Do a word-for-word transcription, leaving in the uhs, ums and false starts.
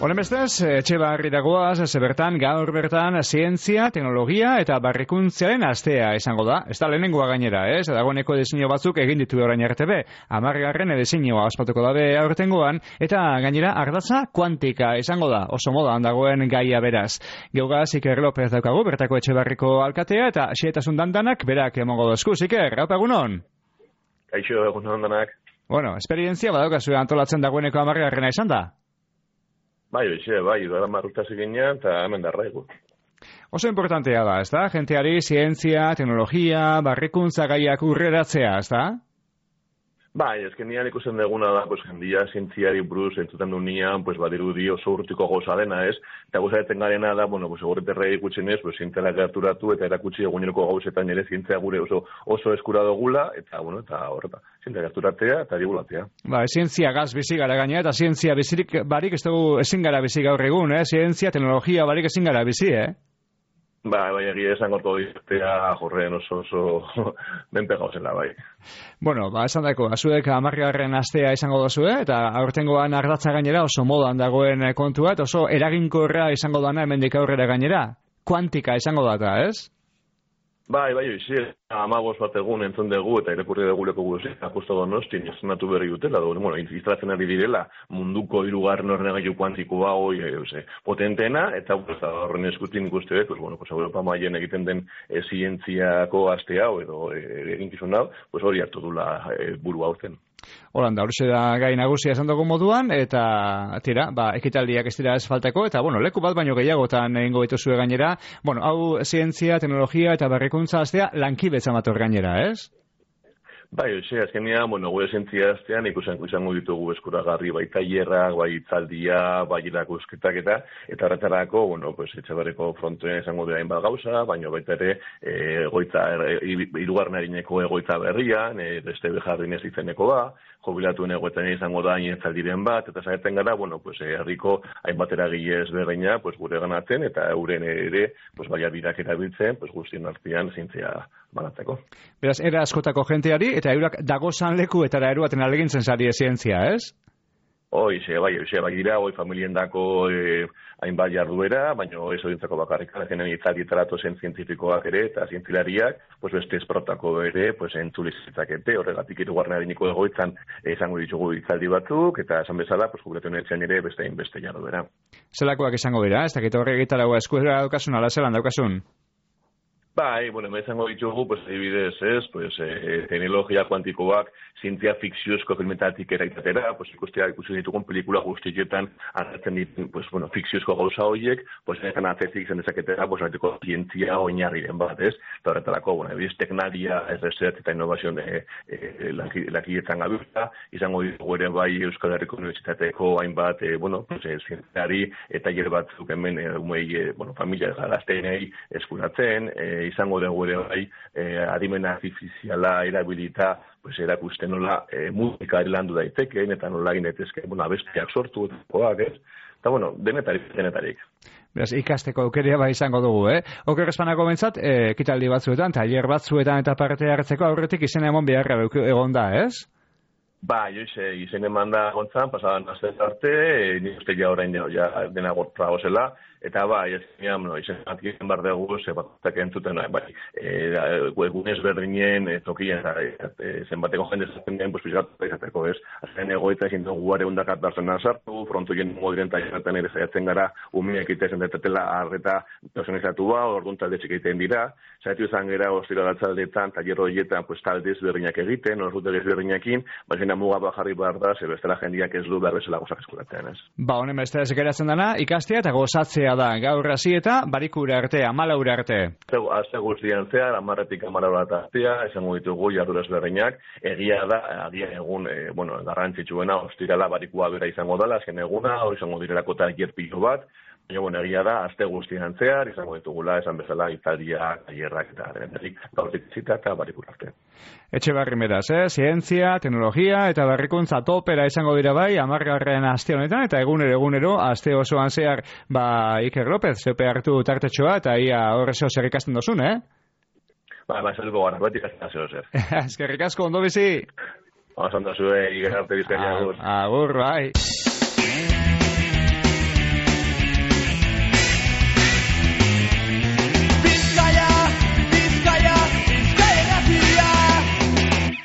Honen bestez, Etxebarri dagoaz, ze bertan, gaur bertan, zientzia, teknologia eta barrikuntzaren astea izango da. Ez da lehenengoa gainera, ez? Dagoeneko diseinu batzuk egin ditu orain arte be. Hamargarren diseinua ospatuko dabe aurtengoan, eta gainera ardatza kuantika izango da. Oso modan dagoen gaia beraz. Geugaz, Iker López daukagu, bertako Etxebarriko alkatea, eta xeetasun dandanak berak emongo dozku. Iker, haupa egunon? Kaixo, egunon dandanak. Bueno, esperientzia badaukazu antolatzen dagoeneko hamargarrena izan da? Bai, oixe, bai, doa marrutaz eginean, eta hemen darraigu. Oso importantea da, ez da? Jenteari, zientzia, teknologia, barrikuntza gaiak urreratzea, ez da? Bai, ezken nian ikusten deguna da, pues, jendia zientziari buruz entzuten du nian, pues, badirudi oso urtiko goza dena, ez? Eta goza deten garena da, bueno, pues, egorreterrei ikutzen ez, pues, zientziala gerturatu eta erakutsi eguneroko gauzetan ere zientzia gure oso, oso eskura dugula, eta, bueno, eta horreta, zientzia gerturatea eta digulatea. Ba, zientzia gaz bizi gara gaina, eta zientzia bizirik barik ez dugu ezin gara bizi gaur egun, eh? Zientzia, teknologia barik ezin gara bizi, eh? Ba, bai, egia esan gorko ditea jorren oso oso menpe gauzela, bai. Bueno, ba, esan dako, azuek hamargarren astea izango dozu, eh? Eta aurtengoan ardatza gainera oso modan dagoen kontua, eta oso eraginkorra izango dana hemendik aurrera gainera. Kuantika izango data, ez? Bai, bai, oizi, amabos bat egun entzun dugu eta irakurri dugu leko guzik, apusto donostin, estrenatu berri dutela, do, bueno, iztratzen ari direla munduko hirugarren ordenagailu kuantikoa hoi, e, potentena, eta horren eskutin ikuste, pues, bueno, pues, Europa mailen egiten den e, zientziako aste hau, edo e, eginkizun hau, pues, hori hartu dula e, buru hauzen. Holanda, hori da gai nagusia esan dugu moduan, eta tira, ba, ekitaldiak ez dira ez faltako, eta bueno, leku bat baino gehiagotan egingo dituzue gainera. Bueno, hau zientzia, teknologia eta barrikuntza astea lankibetza mator gainera, ez? Bai, oixe, azkenean, bueno, gure zientzia astean ikusango izango ditugu eskuragarri bai tailerrak, bai hitzaldia, bai erakusketak eta eta horretarako, bueno, pues Etxebarriko frontoen izango dira hainbat gauza, baina baita ere eh egoitza hirugarren arineko egoitza berrian, eh beste Bejardinez izeneko ba, jubilatuen egoetan izango da hitzaldiren bat eta saiatzen gara, bueno, pues herriko hainbat eragile ezberdina, pues gure ganatzen eta euren ere, pues baliabideak erabiltzen, pues guztien artean zientzia banatzeko. Beraz, era askotako jenteari eta eurak dagozan leku eta eruaten alegintzen sari zientzia, ez? Hoi, ze, bai, ze, bai dira, hoi familiendako eh, hainbat jarduera, baina ez horientzako bakarrik, genen itzaldietaratu zen zientifikoak ere, eta zientzilariak, pues beste esprotako ere, pues entzulizitzakete, horregatik hirugarren arineko egoitzan izango ditugu itzaldi batzuk, eta esan bezala, pues jubilatuen etxean ere beste beste jarduera. Zelakoak izango dira, ez dakit horre egitaragoa eskuera daukasun, ala zelan daukasun? Bai, bueno, izango ditugu, pues, adibidez, ez, pues, eh, teknologia kuantikoak zientzia fikziozko filmetatik eraitatera, pues, ikustea ikusi ditugun pelikula guztietan hartzen ditu, pues, bueno, fikziozko gauza horiek, pues, enetan atzetik zen dezaketera, pues, artiko zientzia oinarriren bat, ez? Eta horretarako, bueno, ebiz, teknaria, ez research eta innovazion e, e, lakietan gabiltza, izango ditugu ere bai Euskal Herriko Unibertsitateko hainbat, e, bueno, pues, e, zientziari eta hier batzuk hemen, e, umei, e, bueno, familia gazteenei eskuratzen, e, izango dugu ere bai eh, adimen artifiziala erabilita pues, erakusten nola eh, musika landu daitekeen eta nola egin daitezke bueno, abestiak sortu koak, ez? Eta, bueno, denetarik, denetarik. Beraz, ikasteko aukeria bai izango dugu, eh? Oker espanako bentsat, eh, ekitaldi batzuetan, tailer batzuetan eta parte hartzeko aurretik izena emon beharra egon da, ez? Ba, joize, izen eman da gontzan, pasadan azten arte, e, nik uste ja orain ja, dena gortra gozela, eta ba, izan, no, izen atien bar dugu, ze batak entzuten, bai, e, egunez berdinen, e, tokien, e, zenbateko jende zaten den, pues, pizgatu izateko, ez? Azken egoitza ezin dugu guare hundakat barzenan sartu, frontoien modiren tailetan ere zaiatzen gara, umeak itezen detetela arreta personizatu ba, orduan talde txikeiten dira, zaitu izan gara, ostira datzaldetan, taller horietan, pues, taldez berdinak egiten, orduan berdinekin, baina muga bajarri behar da, ze bestela jendiak ez du behar bezala gozak eskuratzen, ez? Ba, honen beste ez geratzen dana, ikastea eta gozatzea da, gaur hasi eta barikura arte, amalaura arte. Azte guztian zehar, amarretik amalaura artea, esango ditugu jarduraz berdinak, egia da, agia egun, e, bueno, garrantzitsuena, ostirala barikua bera izango dela, azken eguna, hori izango direlako tailer pilo bat, baina, bueno, egia da, azte guztian zehar, izango ditugula, esan bezala, itzaldiak, tailerrak eta denetik, gaurtik zita eta barikura arte. Etxebarri beraz, eh? Zientzia, teknologia eta barrikuntza topera izango dira bai, hamargarren aste honetan, eta egunero egunero, aste osoan zehar, ba, Iker López, zeupe hartu tartetxoa, eta ia horrezeo zer ikasten dozun, eh? Ba, ba, zeluko gara, bat ikasten zeo zer. Eskerrik asko, ondo bizi? Ba, zantazue, Iker arte bizkaria. Agur, bai.